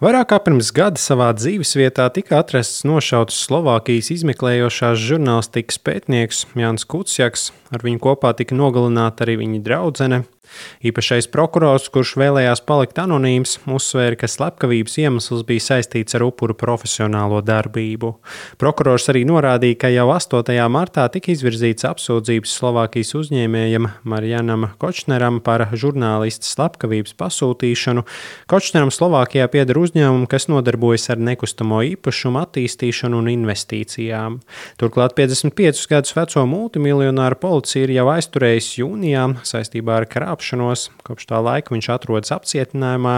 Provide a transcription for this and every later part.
Vairāk kā pirms gada savā dzīvesvietā tika atrasts nošauts Slovākijas izmeklējošās žurnālistikas pētnieks Jānis Kuciaks. Ar viņu kopā tika nogalināta arī viņa draudzene. Īpašais prokurors, kurš vēlējās palikt anonīms, uzsvēra, ka slepkavības iemesls bija saistīts ar upuru profesionālo darbību. Prokurors arī norādīja, ka jau 8. martā tika izvirzīts apsūdzības Slovākijas uzņēmējam Marianam Kočneram par žurnālista slepkavības pasūtīšanu. Kočneram Slovākijā pieder uzņēmumu, kas nodarbojas ar nekustamo īpašumu attīstīšanu un investīcijām. Turklāt 55 gadus veco multimiljonāru policija ir jau aizturējusi jūnijā saistībā ar krāpšanos. Kopš tā laika viņš atrodas apcietinājumā.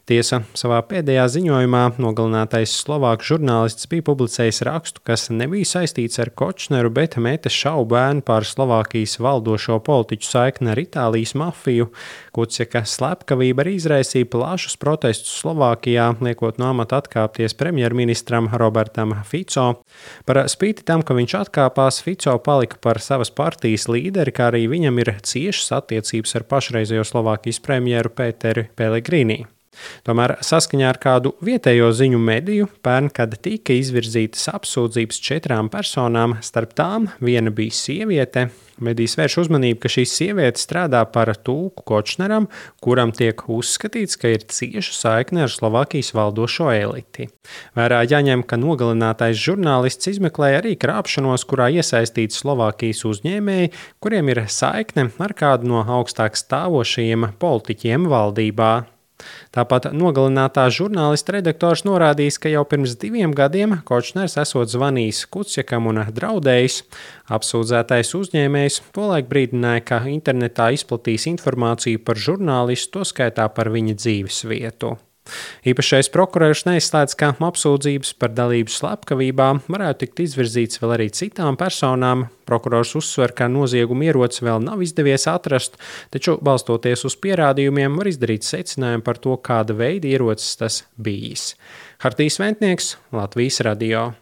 Tiesa savā pēdējā ziņojumā nogalinātais slovāku žurnālists bija publicējis rakstu, kas nebija saistīts ar Kočneru, bet meta šaubu ēnu par Slovākijas valdošo politiķu saikni ar Itālijas mafiju. Kuciaka slepkavība arī izraisīja plašus protestus Slovākijā, liekot no amata atkāpties premjerministram Robertam Fico. Par spīti tam, ka viņš atkāpās, Fico palika par savas partijas līderi, kā arī viņam ir ciešas attiecības ar pašreizējo Slovākijas premjeru Peteri Pelegrini. Tomēr saskaņā ar kādu vietējo ziņu mediju pērn, kad tika izvirzītas apsūdzības 4 personām, starp tām viena bija sieviete. Medijas vērš uzmanību, ka šī sieviete strādā par tulku Kočneram, kuram tiek uzskatīts, ka ir cieša saikne ar Slovākijas valdošo eliti. Vērā jāņem, ka nogalinātais žurnālists izmeklēja arī krāpšanos, kurā iesaistīti Slovākijas uzņēmēji, kuriem ir saikne ar kādu no augstāk stāvošajiem politiķiem valdībā. Tāpat nogalinātā žurnālista redaktors norādījis, ka jau pirms 2 gadiem Kočners esot zvanījis Kuciakam un draudējis. Apsūdzētais uzņēmējs tolaik brīdināja, ka internetā izplatīs informāciju par žurnālistu, to skaitā par viņa dzīves vietu. Īpašais prokurors neizslēdz, ka apsūdzības par dalību slepkavībā varētu tikt izvirzīts vēl arī citām personām. Prokurors uzsver, ka noziegumu ieroci vēl nav izdevies atrast, taču balstoties uz pierādījumiem var izdarīt secinājumu par to, kāda veida ierocis tas bijis. Hartijs Ventnieks, Latvijas radio.